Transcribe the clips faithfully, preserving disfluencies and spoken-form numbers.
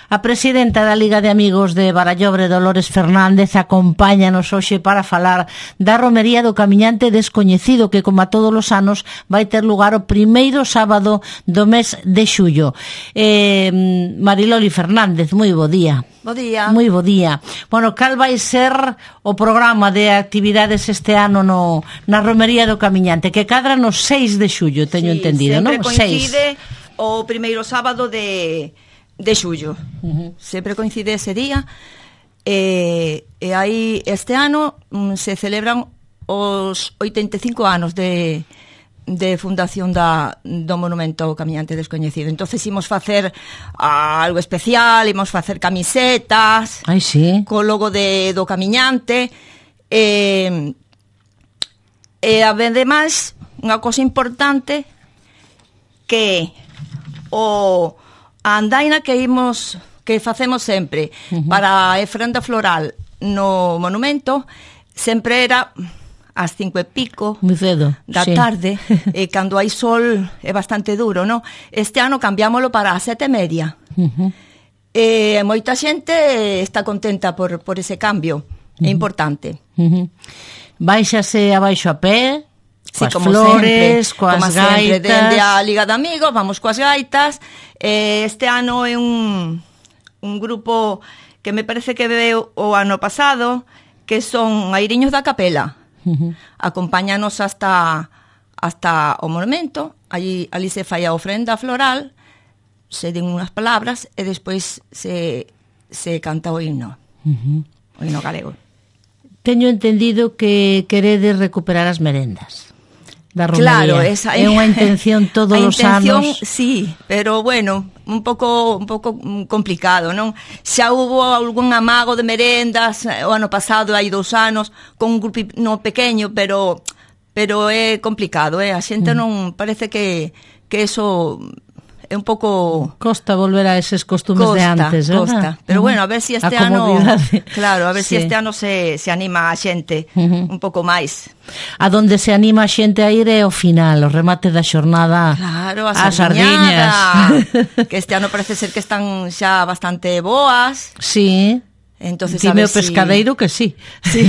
A presidenta da Liga de Amigos de Barallobre, Dolores Fernández, acompáñanos hoxe para falar da romería do Camiñante Descoñecido, que, como a todos os anos, vai ter lugar o primeiro sábado do mes de xullo. Eh, Mariloli Fernández, moi bo día. Bo día. Moi bo día. Bueno, cal vai ser o programa de actividades este ano no, na romería do Camiñante, que cadra no seis de xullo, teño sí, entendido, non? Sempre coincide seis. O primeiro sábado de... de xullo, uh-huh. Sempre coincide ese día, e, e aí este ano um, se celebran os oitenta e cinco anos de, de fundación da, do Monumento ao Camiñante Descoñecido. Entonces imos facer uh, algo especial, imos facer camisetas. Ai, sí. Co logo de, do Camiñante, e, e ademais unha cosa importante que o a andaina que imos que facemos sempre uh-huh. para a ofrenda floral no monumento sempre era ás cinco e pico Muy cedo, da sí. tarde, e cando hai sol é bastante duro, non? Este ano cambiámoslo para as sete e media. Uh-huh. E moita xente está contenta por, por ese cambio, uh-huh. É importante. Uh-huh. Baixase abaixo a pé, coas sí, como flores, sempre, coas como gaitas. Sempre, dende a Liga de Amigos, vamos coas gaitas. Eh, este ano é un, un grupo que me parece que veo o ano pasado, que son Airiños da Capela. Uh-huh. Acompáñanos hasta hasta o monumento, allí, allí se fai a ofrenda floral, se den unhas palabras e despois se, se canta o himno, uh-huh. O himno galego. Teño entendido que queredes recuperar as merendas da romería. Claro, esa é unha intención todos os anos. Sí, pero bueno, un pouco un pouco complicado, non? Xa hubo algún amago de merendas o ano pasado, hai dous anos, con un grupo no pequeño, pero pero é complicado, eh? A xente mm. non parece que que eso é un pouco... Costa volver a eses costumes costa, de antes, ¿verdad? Costa, pero uh-huh. Bueno, a ver si este ano... Claro, a ver sí. si este ano se, se anima a xente uh-huh. un pouco máis. A donde se anima a xente a ir é ao final, o remate da xornada. Claro, a sardiñas. Que este ano parece ser que están xa bastante boas. Sí. Entonces, dime o pescadeiro si... que sí. Sí.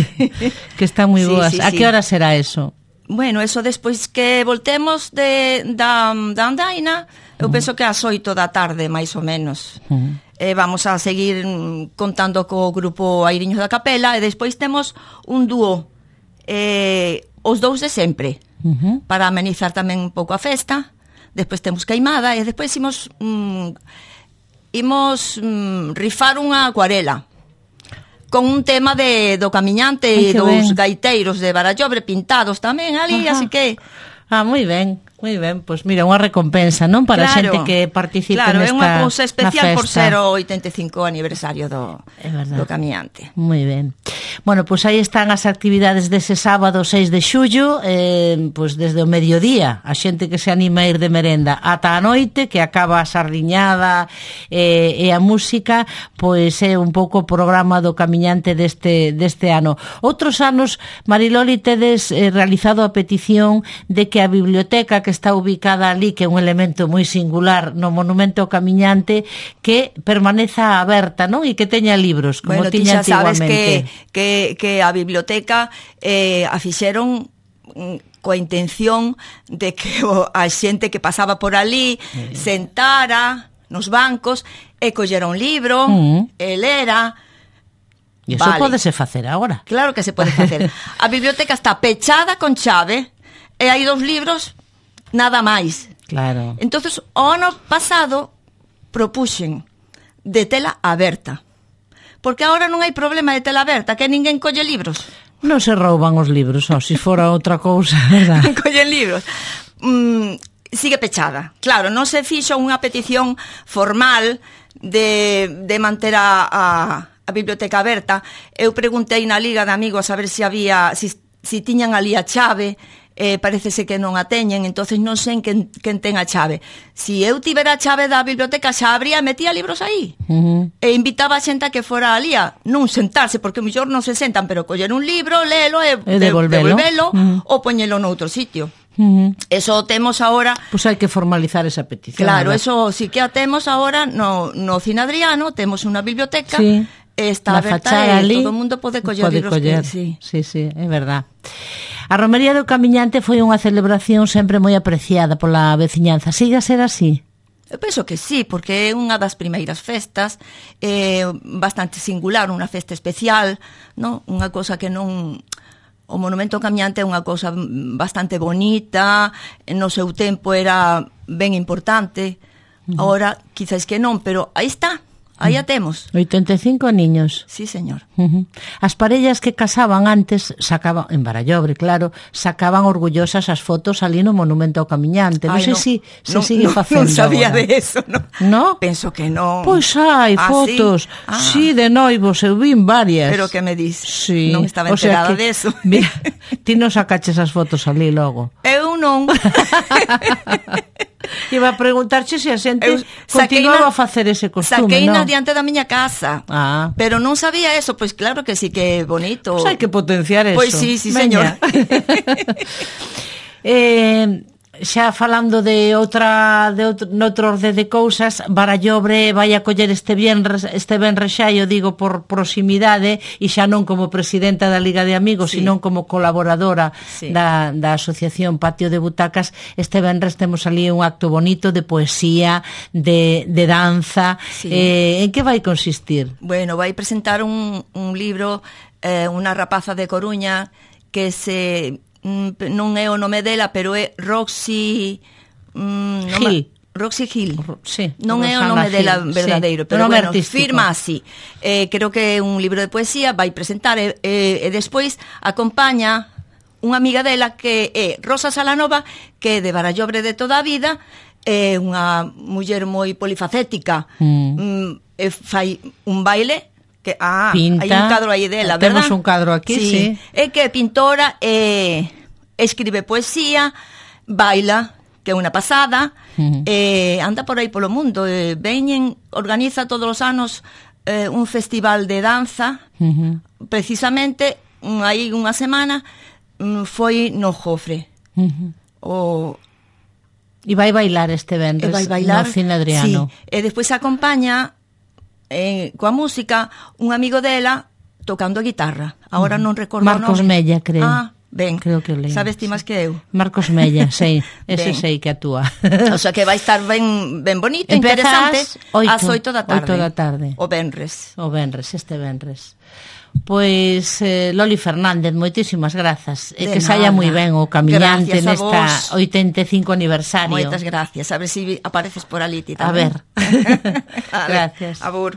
Que están moi sí, boas. Sí, a sí. que hora será eso? Bueno, eso despois que voltemos de, da, da andaina, eu uh-huh. penso que ás oito da tarde, máis ou menos. Uh-huh. Eh, vamos a seguir contando co grupo Airiños da Capela, e despois temos un dúo, eh, os dous de sempre, uh-huh. para amenizar tamén un pouco a festa. Despois temos queimada, e despois imos, mm, imos mm, rifar unha acuarela con un tema de do Camiñante e dos ben. gaiteiros de Barallobre pintados tamén ali, ajá. Así que... Ah, moi ben, moi ben. Pois mira, unha recompensa, non? Para a xente que participe claro, nesta é unha cousa especial por ser o oitenta e cinco aniversario do, do Camiñante. Moi ben. Bueno, pois aí están as actividades dese sábado seis de xullo, eh, pois desde o mediodía, a xente que se anima a ir de merenda ata a noite, que acaba a sardiñada eh, e a música, pois é un pouco o programa do Camiñante deste, deste ano. Outros anos, Mariloli, tedes eh, realizado a petición de que a biblioteca que está ubicada ali, que é un elemento moi singular no Monumento ao Camiñante, que permaneza aberta, non? E que teña libros, como bueno, tiña antiguamente. Sabes que, que, que a biblioteca eh, a fixeron coa intención de que o, a xente que pasaba por ali eh. sentara nos bancos e collera un libro, mm. e lera. E iso vale. Pódese facer agora. Claro que se pode facer. A biblioteca está pechada con chave, e hai dous libros, nada máis. Claro. Entonces, o ano pasado propuxen de tela aberta. Porque agora non hai problema de tela aberta, que ninguén colle libros. Non se rouban os libros, ou se fora outra cousa, verdad? Collen libros. Mm, sigue pechada. Claro, non se fixo unha petición formal de, de manter a, a, a biblioteca aberta. Eu preguntei na Liga de Amigos a ver se había, si, si tiñan ali a chave. eh, parecese que non a teñen, entonces non sei quen, quen ten a chave. Si eu tivera a chave da biblioteca, xa abría e metía libros aí. Uh-huh. E invitaba a xente a que fora ali a non sentarse, porque o mellor non se sentan, pero coller un libro, léelo e, e devolvelo, devolvelo uh-huh. ou poñelo noutro sitio. Uh-huh. Eso temos ahora. Pois pues hai que formalizar esa petición. Claro, ¿verdad? Eso sí que a temos ahora no, no Cine Adriano, temos unha biblioteca, sí. Está aberta e ali, todo o mundo pode coller pode libros. Coller. Que, sí. sí, sí, é verdad. A Romería do Camiñante foi unha celebración sempre moi apreciada pola veciñanza. Siga a ser así? Eu penso que sí, porque é unha das primeiras festas, é bastante singular, unha festa especial, non? Unha cosa que non... O Monumento Camiñante é unha cousa bastante bonita, no seu tempo era ben importante, uh-huh. Ahora quizás que non, pero aí está, aí a temos. oitenta e cinco niños. Sí, señor. Uh-huh. As parellas que casaban antes, sacaban, en Barallobre, claro, sacaban orgullosas as fotos ali no Monumento ao Camiñante. Non sei no, se si, no, se sigue no, facendo. Non sabía ahora. de eso, no. No? Penso que non. Pois hai ah, fotos, sí? Ah. sí, de noivos, eu vin varias. Pero que me dis? Sí. Non estaba o sea enterada que, de eso. Mira, ti non sacaches as fotos ali logo. Eu non. Iba a preguntarche se a xente continuaba a facer ese costume, saquei non? na diante da miña casa. Ah. Pero non sabía eso, pois claro que sí que é bonito. Pois hai que potenciar eso. Pois sí, sí, señor. eh... Xa falando de outra de outro, noutro orde de cousas, Barallobre vai a coller este venres, este venres xa, eu digo por proximidade, e xa non como presidenta da Liga de Amigos, sí. Sino como colaboradora sí. da, da Asociación Patio de Butacas. Este venres temos ali un acto bonito de poesía, de, de danza. Sí. Eh, en que vai consistir? Bueno, vai presentar un, un libro, eh, unha rapaza de Coruña que se... non é o nome dela, pero é Roxy mm, Gil. Roxy Gil. Sí, non é o nome Gil. Dela verdadeiro, sí. Pero bueno, artístico. Firma así. Eh, creo que é un libro de poesía, vai presentar e, e, e despois acompaña unha amiga dela que é Rosa Salanova, que é de Barallobre de toda a vida, é unha muller moi polifacética, mm. Mm, e fai un baile. Que, ah, pinta, hai un cadro aí dela, verdad? Temos un cadro aquí, sí. sí. É que é pintora, eh, escribe poesía, baila, que é unha pasada, uh-huh. eh, anda por aí polo mundo, eh, veñen, organiza todos os anos eh, un festival de danza, uh-huh. Precisamente, un, aí unha semana, um, foi no Jofre. Uh-huh. O... E vai bailar este venres vai bailar, no Cine Adriano. Sí. E despois acompaña... Eh, coa música, un amigo dela tocando a guitarra. Agora non recordo Marcos o nome. Mella, creo. Ah, ben. Creo que leio. Sabes ti máis que eu? Marcos Mella, sei. Ese sei que actúa. O sea que vai estar ben ben bonito, interesante. Ás oito da tarde. oito da tarde. O venres. O venres, este venres. Pois eh, Loli Fernández, moitísimas grazas. E que saia moi ben o Camiñante nesta oitenta e cinco aniversario. Moitas gracias. A ver se si apareces por ali ti tamén. A ver. Gracias. Abur.